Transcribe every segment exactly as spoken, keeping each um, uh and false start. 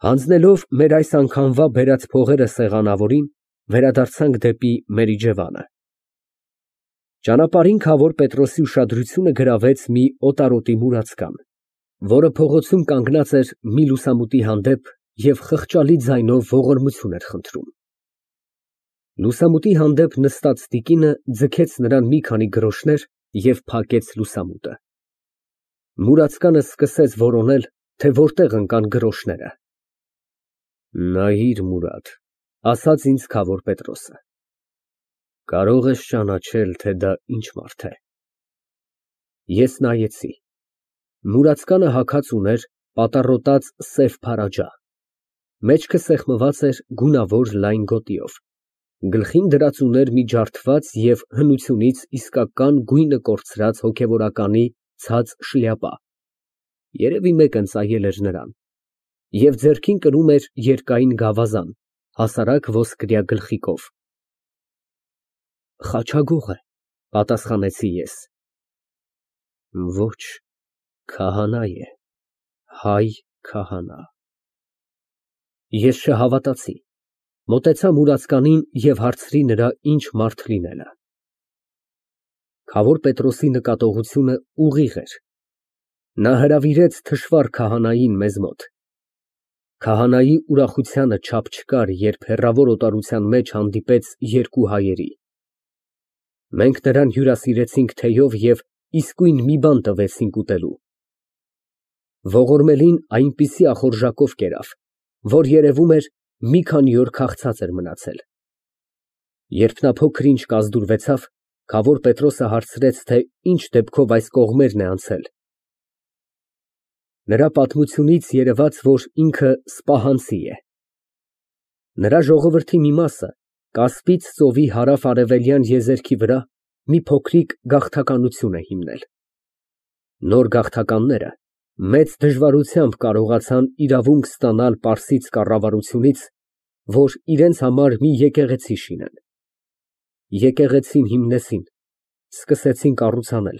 Հանձնելով մեր այս անգամվա բերած փողերը սեղանավորին, վերադարձանք դեպի մեր իջևանը։ Ճանապարհին քավոր Պետրոսի ուշադրությունը գրավեց մի օտարոտի մուրացկան, որը փողոցում կանգնած էր մի լուսամուտի հանդեպ և խղճալի ձայնով ողորմություն էր խնդրում։ Լուսամուտի հանդեպ նստած տիկինը ձգեց նրան մի քանի գրոշներ և փակեց լուսամուտը։ Մուրացկանը սկսեց որոնել, թե որտեղ ընկան գրոշները։ Նայիր, Մուրադ, ասաց ինձ քավոր Պետրոսը, կարող ես ճանաչել, թե դա ինչ մարդ է։ Ես նայեցի։ Մուրացկանը հագած ուներ պատառոտած սև փարաջա, մեջքը սեղմված էր գունավոր լայն գոտիով, գլխին դրած ուներ մի ջարդված և հնությունից իսկական գույնը կորցրած հոգևորականի ցած շլյապա (երևի մեկն ծայել էր նրան) և ձեռքին կրում էր երկայն գավազան, հասարակ ոսկրյա գլխիկով։ Խաչագող է, պատասխանեցի ես։ Ոչ, քահանա է, հայ քահանա։ Ես չհավատացի, մոտեցա մուրացկանին և հարցրի նրա ինչ մարդ լինելը։ Քավոր Պետրոսի նկատողությունը ուղիղ էր։ Նա հրավիրեց թշվառ քահանային մեզ մոտ։ Քահանայի ուրախությանը չափ չկար, երբ հեռավոր օտարության մեջ հանդիպեց երկու հայերի։ Մենք նրան հյուրասիրեցինք թեյով և իսկույն մի բան տվեցինք ուտելու։ Ողորմելին այնպիսի ախորժակով կերավ, որ երևում էր մի քանի օր քաղցած էր մնացել։ Երբ նա փոքր-ինչ կազդուրվեցավ, քավոր Պետրոսը հարցրեց, թե ինչ դեպքով այս կողմերն է անցել։ Նրա պատմությունից երևաց, որ ինքը սպահանցի է։ Նրա ժողովրդի մի մասը Կասպից ծովի հարավ֊արևելյան եզերքի վրա մի փոքրիկ գաղթականություն է հիմնել։ Նոր գաղթականները մեծ դժվարությամբ կարողացան իրավունք ստանալ Պարսից կառավարությունից, որ իրենց համար մի եկեղեցի շինեն։ Եկեղեցին հիմնեցին, սկսեցին կառուցանել,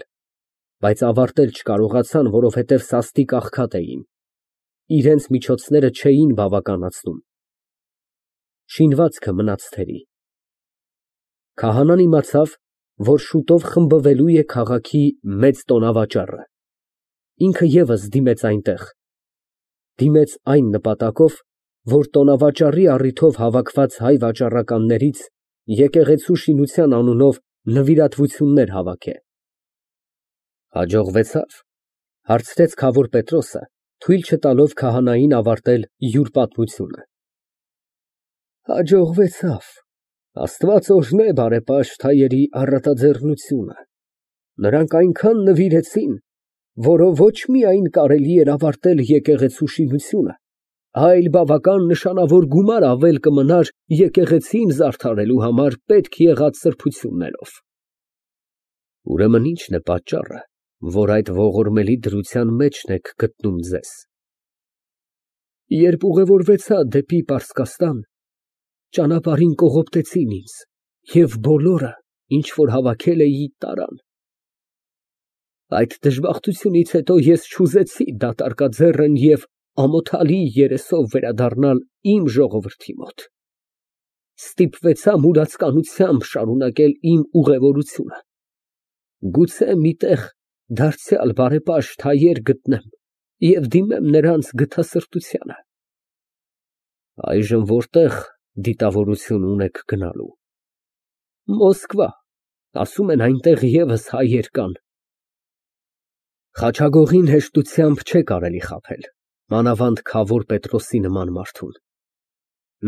բայց ավարտել չկարողացան, որովհետև սաստիկ աղքատ էին, իրենց միջոցները չէին բավականացնում։ Շինվածքը մնաց թերի։ Քահանան իմացավ, որ շուտով խմբվելու է քաղաքի մեծ տոնավաճառը, ինքը ևս դիմեց այնտեղ, դիմեց այն նպատակով, որ տոնավաճառի առիթով հավաքված հայ վաճառականներից եկեղեցու շինության անունով նվիրատվություններ հավաքը։ Հաջողվեցա՞վ, հարցրեց քավոր Պետրոսը, թույլ չտալով քահանային ավարտել յուր պատմությունը։ Հաջողվեցավ, Աստված օրհնե բարեպաշտ հայերի առատաձեռնությունը, նրանք այնքան նվիրեցին, որով ոչ միայն կարելի էր ավարտել եկեղեցու շինությունը, այլ բավական նշանավոր գումար ավել կմնար եկեղեցին զարդարելու համար պետք եղած սրբություններով։ Ուրեմն ի՞նչն է պատճառը, որ այդ ողորմելի դրության մեջն եք գտնում ձեզ։ Երբ ուղևորվեցա դեպի Պարսկաստան, ճանապարհին կողոպտեցին ինձ և բոլորը, ինչ որ հավաքել էի, տարան։ Այդ դժբախտությունից հետո ես չուզեցի դատարկաձեռն և ամոթալի երեսով վերադառնալ իմ ժողովրդի մոտ։ Ստիպվեցա մուրացկանությամբ շարունակել իմ ուղևորությունը։ Գուցե մի տեղ դարձյալ բարեպաշտ հայեր գտնեմ և դիմեմ նրանց գթասրտությանը։ Այժմ որտեղ դիտավորություն ունեք գնալու։ Մոսկվա, ասում են այնտեղ ևս հայեր կան։ Խաչագողին հեշտությամբ չէ կարելի խաբել, մանավանդ քավոր Պետրոսի նման մարդուն։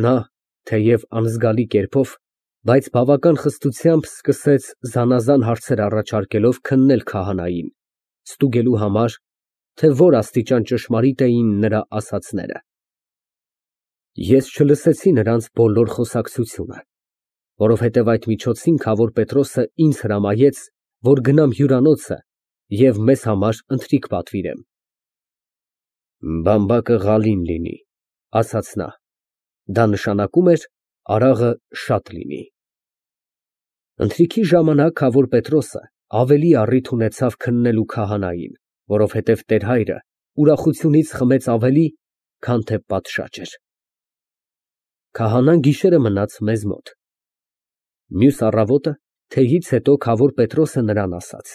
Նա, թեև անզգալի կերպով, բայց բավական խստությամբ սկսեց զանազան հարցեր առաջարկելով քննել քահանային, ստուգելու համար, թե որ աստիճան ճշմարիտ էին նրա ասածները։ Ես չլսեցի նրանց բոլոր խոսակցությունը, որովհետև այդ միջոցին քավոր Պետրոսը ինձ հրամայեց, որ գնամ հյուրանոցը և մեզ համար ընթրիք պատվիրեմ։ Բամբակը ղալին լինի, ասաց նա, դա նշանակում էր արաղը շատ լինի։ Ընթրիքի ժամանակ քավոր Պետրոսը ավելի առիթ ունեցավ քննելու քահանային, որովհետև տեր հայրը ուրախությունից խմեց ավելի քան թե պատշաճ էր։ Քահանան գիշերը մնաց մեզ մոտ։ Մյուս առավոտը թեյից հետո քավոր Պետրոսը նրան ասաց.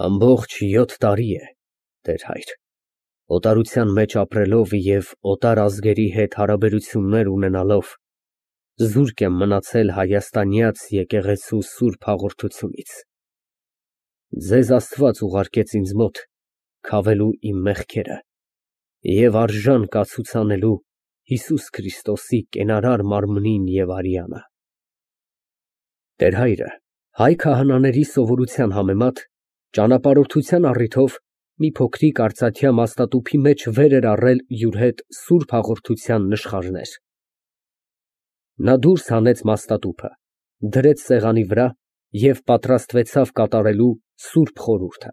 Ամբողջ յոթ տարի է, տեր հայր, օտարության մեջ ապրելով և օտար ազգերի հետ հարաբերություններ ունենալով, զուրկ եմ մնացել հայաստանյաց եկեղեցու սուրբ հաղորդությունից։ Ձեզ Աստված ուղարկեց ինձ մոտ քավելու իմ մեղքերը և արժան կացուցանելու Հիսուս Քրիստոսի կենարար մարմնին և արյանը։ Տեր֊հայրը հայ քահանաների սովորության համեմատ ճանապարհորդության առիթով մի փոքրիկ արծաթյա մաստատուփի մեջ վեր էր առել յուր հետ սուրբ հաղորդության նշխարներ։ Նա դուրս հանեց մաստատուփը, դրեց սեղանի վրա և պատրաստվեցավ կատարելու սուրբ խորհուրդը։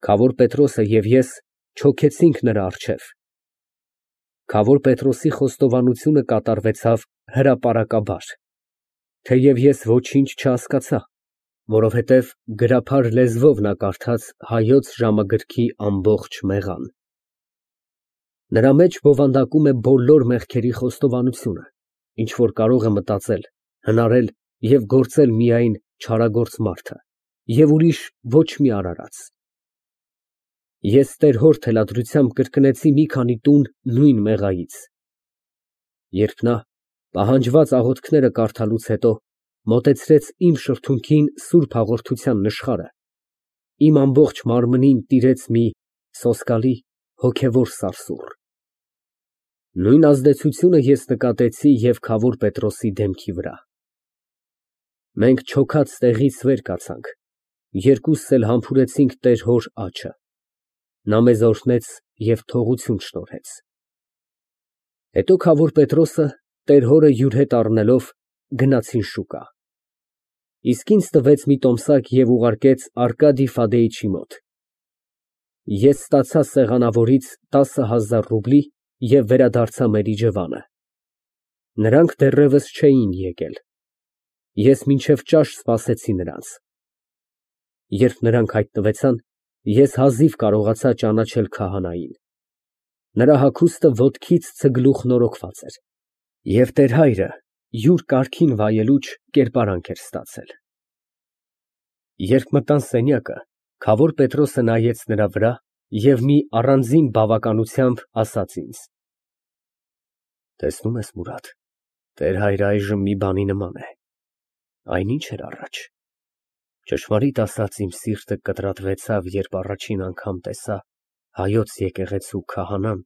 Քավոր Պետրոսը և ես չոքեցինք նրա առջև։ Քավոր Պետրոսի խոստովանությունը կատարվեցավ հրապարակաբար, թեև ես ոչինչ չհասկացա, որովհետև գրափար լեզվով նա կարդաց հայոց ժամագրքի ամբողջ մեղան։ Նրա մեջ բովանդակում է բոլոր մեղքերի խոստովանությունը, ինչ որ կարող է մտածել, հնարել և գործել միայն չարագործ մարդը և ուրիշ ոչ մի արարած։ Ես տեր֊հոր թելադրությամբ կրկնեցի մի քանի տուն նույն մեղայից։ Երբ նա, պահանջված աղոթքները կարդալուց հետո, մոտեցրեց իմ շրթունքին սուրբ հաղորդության նշխարը, իմ ամբողջ մարմնին տիրեց մի սոսկալի, հոգևոր սարսուռ։ Նույն ազդեցությունը ես նկատեցի և քավոր Պետրոսի դեմքի վրա։ Մենք չոքած տեղից վեր կացանք, երկուսս էլ համբուրեցինք տեր֊հոր աջը։ Նա մեզ օրհնեց և թողություն շնորհեց։ Հետո քավոր Պետրոսը, տեր֊հորը յուր հետ առնելով, գնացին շուկա։ Իսկ ինձ տվեց մի տոմսակ և ուղարկեց Արկադիյ Ֆադեիչի մոտ։ Ես ստացա սեղանավորից տասը հազար ռուբլի և վերադարձա մեր իջևանը։ Նրանք դեռևս չէին եկել։ Ես մինչև ճաշ սպասեցի նրանց։ Երբ նրանք հայտնվեցան, ես հազիվ կարողացա ճանաչել քահանային։ Նրա հագուստը ոտքից ցգլուխ նորոգված էր, և տեր֊հայրը յուր կարգին վայելուչ կերպարանք էր ստացել։ Երբ մտան սենյակը, քավոր Պետրոսը նայեց նրա վրա և մի առանձին բավականությամբ ասաց ինձ. «Տեսնում ես, Մուրադ, տեր֊հայրը այժմ մի բանի նման է, այնինչ էր առաջ։ Ճշմարիտ ասած, իմ սիրտը կտրատվեցավ, երբ առաջին անգամ տեսա հայոց եկեղեցու քահանան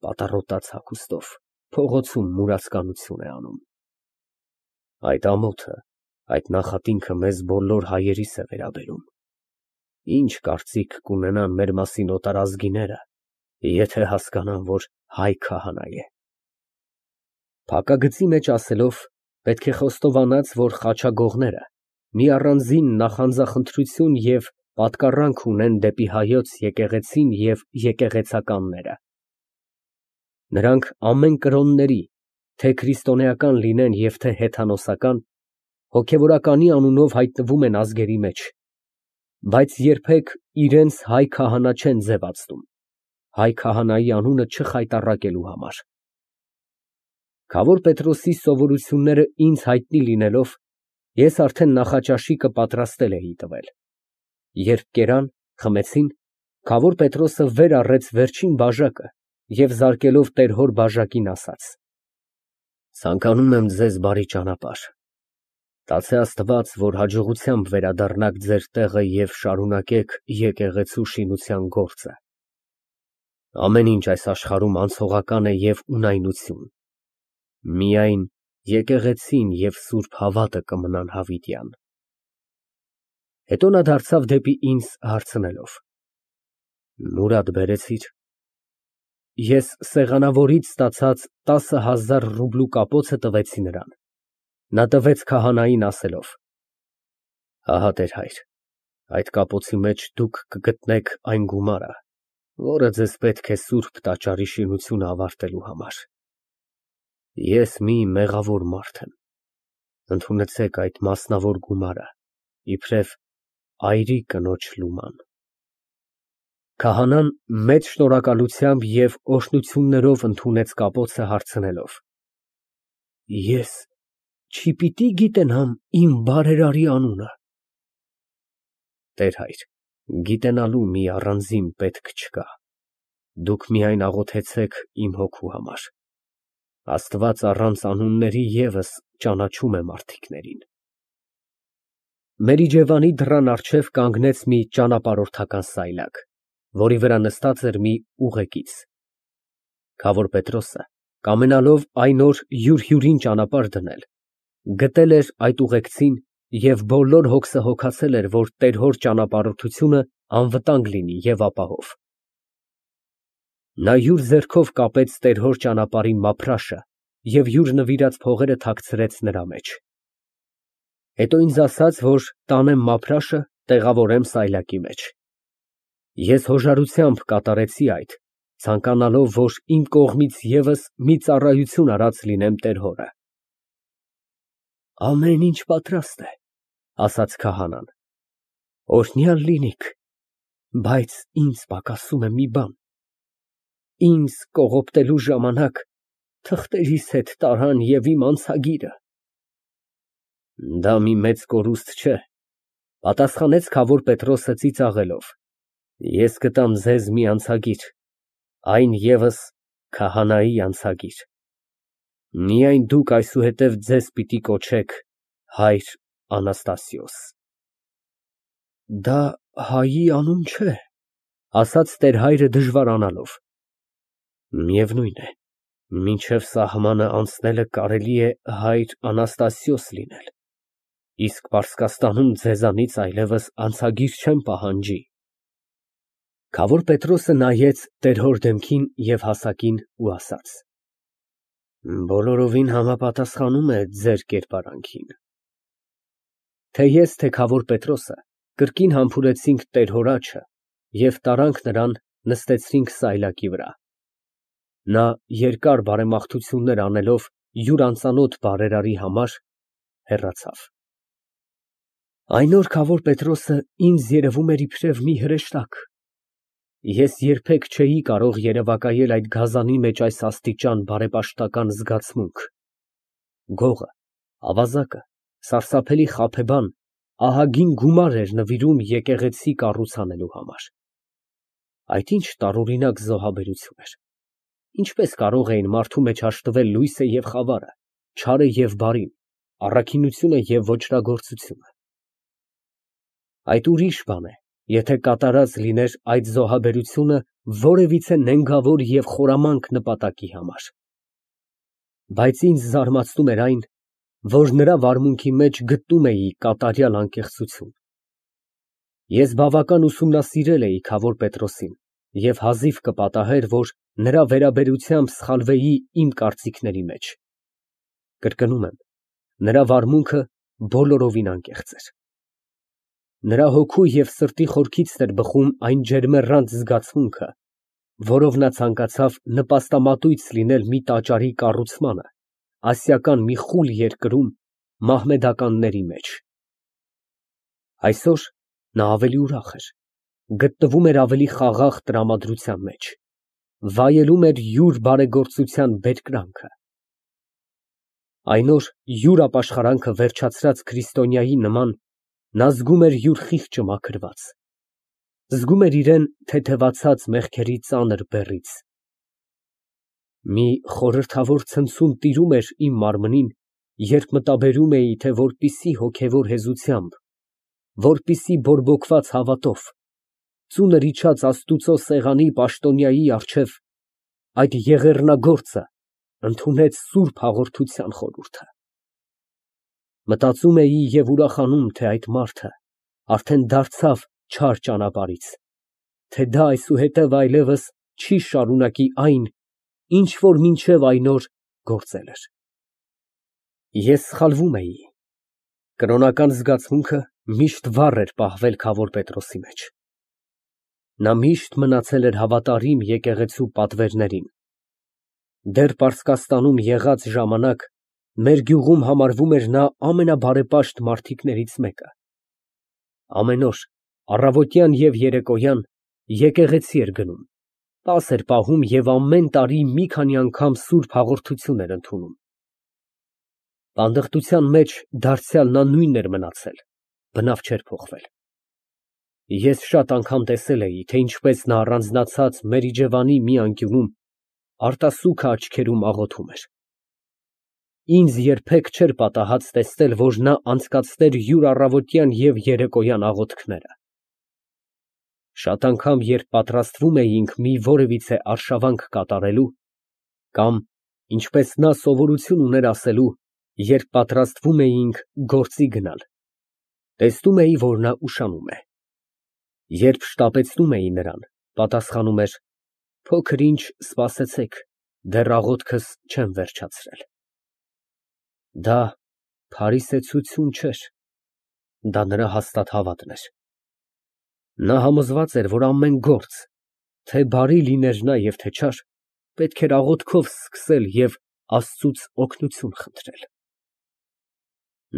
պատառոտած հագուստով փողոցում մուրացկանություն է անում։ Այդ ամոթը, այդ նախատինքը մեզ բոլոր հայերիս է վերաբերում։ Ինչ կարծիք կունենան մեր մասին օտարազգիները, եթե հասկանան, որ հայ քահանա է։ Փակագծի մեջ ասելով, պետք է խոստովանած, որ խաչագողները մի առանձին նախանձախնդրություն և պատկառանք ունեն դեպի հայոց եկեղեցին և եկեղեցականները։ Նրանք ամեն կրոնների, թե քրիստոնեական լինեն և թե հեթանոսական, հոգևորականի անունով հայտնվում են ազգերի մեջ, բայց երբեք իրենց հայ քահանա չեն ձևացնում, հայ քահանայի անունը չխայտառակելու համար։ Քավոր Պետրոսի սովորությունները ինձ հայտնի լինելով, ես արդեն նախաճաշիկը պատրաստել էի տվել։ Երբ կերան, խմեցին, քավոր Պետրոսը վեր առեց վերջին բաժակը և զարկելով տեր֊հոր բաժակին, ասաց. «Ցանկանում եմ ձեզ բարի ճանապարհ։ Տացե Աստված, որ հաջողությամբ վերադառնաք ձեր տեղը և շարունակեք եկեղեցու շինության գործը։ Ամեն ինչ այս աշխարհում անցողական է և ունայնություն, միայն եկեղեցին և սուրբ հավատը կմնան հավիտյան»։ Հետո նա դարձավ դեպի ինձ, հարցնելով. «Մուրադ բերեցի՞ր»։ Ես սեղանավորից ստացած տասը հազար ռուբլու կապոցը տվեցի նրան։ Նա տվեց քահանային, ասելով. «Ահա, տեր֊հայր, այդ կապոցի մեջ դուք կգտնեք այն գումարը, որը ձեզ պետք է սուրբ տաճարի շինությունը ավարտելու համար։ Ես մի մեղավոր մարդ եմ, ընդունեցեք այդ մասնավոր գումարը, իբրև այրի կնոջ լուման»։ Քահանան մեծ շնորհակալությամբ և օրհնություններով ընդունեց կապոցը, հարցնելով. Ես չպիտի գիտենամ իմ բարերարի անունը։ Տեր հայր, գիտենալու մի առանձին պետք չկա, դուք միայն աղոթեցեք իմ հոգու համար, Աստված առանց անունների ևս ճանաչում է մարդիկներին։ Մերիջևանի դռան առջև կանգնեց մի ճանապարհորդական սայլակ, որի վրա նստած էր մի ուղեկից։ Քավոր Պետրոսը, կամենալով այն օր յուր֊հյուրին ճանապարհ դնել, գտել էր այդ ուղեկցին և բոլոր հոգսը հոգացել էր, որ տեր֊հոր ճանապարհորդությունը անվտանգ լինի և ապահով։ Նա յուր ձեռքով կապեց տեր֊հոր ճանապարհի մափրաշը և յուր նվիրած փողերը թաքցրեց նրա մեջ։ Հետո ինձ ասաց, որ տանեմ մափրաշը, տեղավորեմ սայլակի մեջ։ Ես հոժարությամբ կատարեցի այդ, ցանկանալով, որ իմ կողմից ևս մի ծառայություն արած լինեմ տեր֊հորը։ Ամեն ինչ պատրաստ է, ասաց քահանան, օրհնյալ լինիք, բայց ինձ պակասում է մի բան, ինձ կողոպտելու ժամանակ թղթերիս հետ տարան և իմ անցագիրը։ Դա մի մեծ կորուստ չէ, պատասխանեց քավոր Պետրոսը ծիծաղելով, ես կտամ ձեզ մի անցագիր, այն ևս քահանայի անցագիր, միայն դուք այսուհետև ձեզ պիտի կոչեք հայր Անաստասիոս։ Դա հայի անուն չէ, ասաց տեր֊հայրը դժվարանալով, միևնույն է, մինչև սահմանը անցնելը կարելի է հայր Անաստասիոս լինել, իսկ Պարսկաստանում ձեզանից այլևս անցագիր չեմ պահանջի։ Քավոր Պետրոսը նայեց տեր֊հոր դեմքին և հասակին ու ասաց. Բոլորովին համապատասխանում է ձեր կերպարանքին։ Թե ես, թե քավոր Պետրոսը կրկին համբուրեցինք տեր֊հոր աջը և տարանք նրան, նստեցրինք սայլակի վրա։ Նա երկար բարեմաղթություններ անելով յուր անծանոթ բարերարի համար, հեռացավ։ Այն օր քավոր Պետրոսը ինձ երևում էր իբրև մի հրեշտակ։ Ես երբեք չէի կարող երևակայել այդ գազանի մեջ այս աստիճան բարեպաշտական զգացմունք։ Գողը, ավազակը, սարսափելի խաբեբան ահագին գումար էր նվիրում եկեղեցի կառուցանելու համար։ Այդ ինչ տարօրինակ զոհաբերություն էր։ Ինչպես կարող էին մարդու մեջ հաշտվել լույսը և խավարը, չարը և բարին, առաքինությունը և ոճրագործությունը։ Այդ ուրիշ բան է, եթե կատարած լիներ այդ զոհաբերությունը որևիցե նենգավոր և խորամանկ նպատակի համար։ Բայց ինձ զարմացնում էր այն, որ նրա վարմունքի մեջ գտնում էի կատարյալ անկեղծություն։ Ես բավական ուսումնասիրել էի քավոր Պետրոսին և հազիվ կպատահեր, որ նրա վերաբերությամբ սխալվեի իմ կարծիքների մեջ։ Կրկնում եմ, նրա վարմունքը բոլորովին անկեղծ էր։ Նրա հոգու և սրտի խորքից էր բխում այն ջերմեռանդ զգացմունքը, որով նա ցանկացավ նպաստամատույց լինել մի տաճարի կառուցմանը ասիական մի խուլ երկրում մահմեդականների մեջ։ Այսօր նա ավելի ուրախ էր, գտնվում էր ավելի խաղաղ տրամադրության մեջ, վայելում էր յուր բարեգործության բերկրանքը։ Այն օր յուր ապաշխարանքը վերջացրած քրիստոնյայի նման նա զգում էր յուր խիղճը մաքրված, զգում էր իրան թեթևացած մեղքերի ծանր բեռից։ Մի խորհրդավոր ցնցում տիրում էր իմ մարմնին, երբ մտաբերում էի, թե որպիսի հոգևոր հեզությամբ, որպիսի բորբոքված հավատով, ծունր իջած Աստուծո սեղանի պաշտոնյայի առջև այդ եղեռնագործը ընդունեց սուրբ հաղորդության խորհուրդը։ Մտածում էի և ուրախանում, թե այդ մարդը արդեն դարձավ չար ճանապարհից, թե դա այսուհետև այլևս չի շարունակի այն, ինչ որ մինչև այն օր գործել էր։ Ես սխալվում էի։ Կրոնական զգացմունքը միշտ վառ էր պահվել քավոր Պետրոսի մեջ։ Նա միշտ մնացել էր հավատարիմ եկեղեցու պատվերներին։ Դեռ Պարսկաստանում եղած ժամանակ մեր գյուղում համարվում էր նա ամենաբարեպաշտ մարդիկներից մեկը։ Ամեն օր, առավոտյան և երեկոյան, եկեղեցի էր գնում, տաս էր պահում և ամեն տարի մի քանի անգամ սուրբ հաղորդություն էր ընդունում։ Բանդղտության մեջ դարձյալ նա նույնն էր մնացել, բնավ չէր փոխվել։ Ես շատ անգամ տեսել էի, թե ինչպես նա առանձնացած մեր իջևանի մի անկյունում արտասուքը աչքերում աղոթում էր։ Ինձ երբեք չէր պատահած տեսնել, որ նա անցկացներ յուր առավոտյան և երեկոյան աղոթքները։ Շատ անգամ, երբ պատրաստվում էինք մի որևիցե արշավանք կատարելու, կամ, ինչպես նա սովորություն ուներ ասելու, երբ պատրաստվում էինք գործի գնալ, տեսնում էի, որ նա ուշանում է։ Երբ շտապեցնում էի նրան, պատասխանում էր. «Փոքր ինչ սպասեցեք, դեռ աղոթքս չեմ վերջացրել»։ Դա փարիսեցություն չէր, դա նրա հաստատ հավատն էր։ Նա համոզված էր, որ ամեն գործ, թե բարի լիներ նա և թե չար, պետք էր աղոթքով սկսել և Աստծուց օգնություն խնդրել։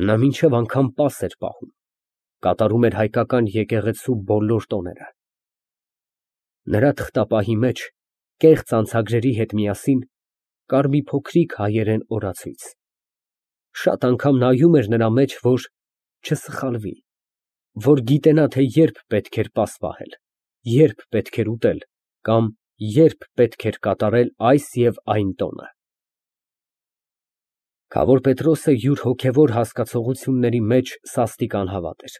Նա մինչև անգամ պաս էր պահում, կատարում էր հայկական եկեղեցու բոլոր տոները։ Նրա թղթապահի մեջ, կեղծ անցագրերի հետ միասին, կար մի փոքրիկ հայերեն օրացույց։ Շատ անգամ նայում էր նրա մեջ, որ չսխալվի, որ գիտենա, թե երբ պետք էր պաս պահել, երբ պետք էր ուտել կամ երբ պետք էր կատարել այս և այն տոնը։ Քավոր Պետրոսը յուր հոգևոր հասկացությունների մեջ սաստիկ անհավատ էր,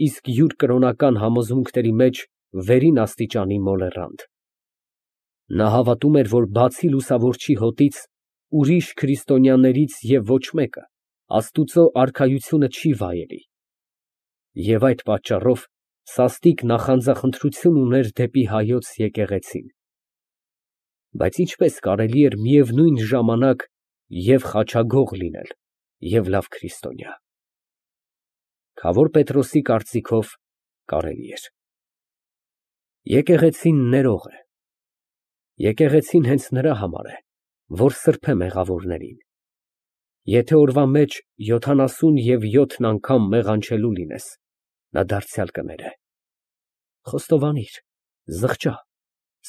իսկ յուր կրոնական համոզմունքների մեջ վերին աստիճանի մոլեռանդ։ Նա հավատում էր, որ բացի լուսավորչի հոտից, ուրիշ քրիստոնյաներից և ոչ մեկը Աստուծո արքայությունը չի վայելի, և այդ պատճառով սաստիկ նախանձախնդրություն ուներ դեպի Հայոց եկեղեցին։ Բայց ինչպես կարելի էր միևնույն ժամանակ և խաչագող լինել, և լավ քրիստոնյա։ Քավոր Պետրոսի կարծիքով կարելի էր։ Եկեղեցին ներող է։ Եկեղեցին հենց նրա համար է, որ սրբե մեղավորներին։ Եթե օրվա մեջ յոթանասուն և յոթն անգամ մեղանչելու լինես, նա դարձյալ կներե։ Խոստովանիր, զղջա,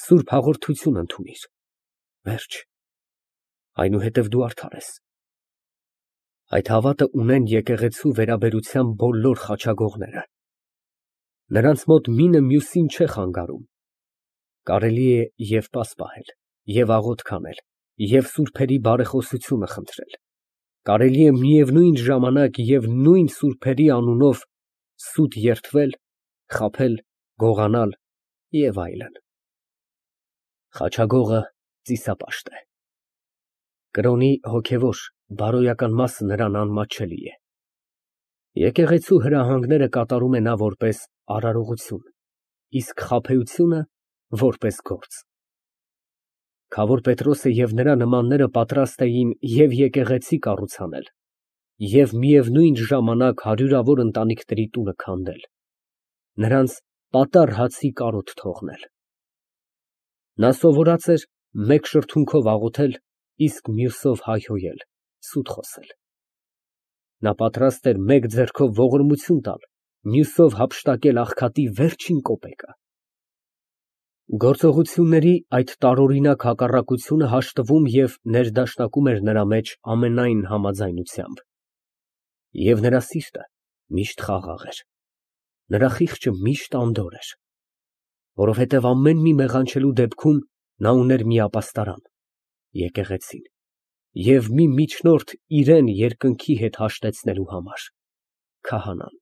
սուրբ հաղորդություն ընդունիր, վերջ, այնուհետև դու արդար ես։ Այդ հավատը ունեն եկեղեցու վերաբերությամբ բոլոր խաչագողները։ Նրանց մոտ մինը մյուսին չէ խանգարում։ Կարելի է և պաս պահել, և աղոթք անել, և սուրբերի բարեխոսությունը խնդրել, կարելի է միևնույն ժամանակ և նույն սուրբերի անունով սուտ երդվել, խաբել, գողանալ և այլն։ Խաչագողը ծիսապաշտ է։ Կրոնի հոգևոր, բարոյական մասը նրան անմատչելի է։ Եկեղեցու հրահանգները կատարում է նա որպես արարողություն, իսկ խաբեությունը որպես գործ։ Քավոր Պետրոսը և նրա նմանները պատրաստ էին և եկեղեցի կառուցանել և միևնույն ժամանակ հարյուրավոր ընտանիքների տունը քանդել, նրանց պատառ հացի կարոտ թողնել։ Նա սովորած էր մեկ շրթունքով աղոթել, իսկ մյուսով հայհոյել, սուտ խոսել։ Նա պատրաստ էր մեկ ձեռքով ողորմություն տալ, մյուսով հափշտակել աղքատի վերջին կոպեկը։ Գործողությունների այդ տարօրինակ հակառակությունը հաշտվում և ներդաշնակում էր նրա մեջ ամենայն համաձայնությամբ։ Եվ նրա սիրտը միշտ խաղաղ էր, նրա խիղճը միշտ անդորր էր, որովհետև ամեն մի մեղանչելու դեպքում նա ուներ մի ապաստարան՝ եկեղեցին, և մի միջնորդ իրան երկնքի հետ հաշտեցնելու համար՝ քահանան։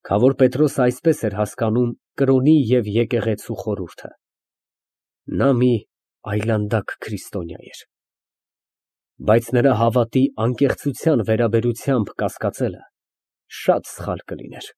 Քավոր Պետրոսը այսպես էր հասկանում կրոնի և եկեղեցու խորհուրդը։ Նա մի այլանդակ քրիստոնյա էր։ Բայց նրա հավատի անկեղծության վերաբերությամբ կասկածելը շատ սխալ կլիներ։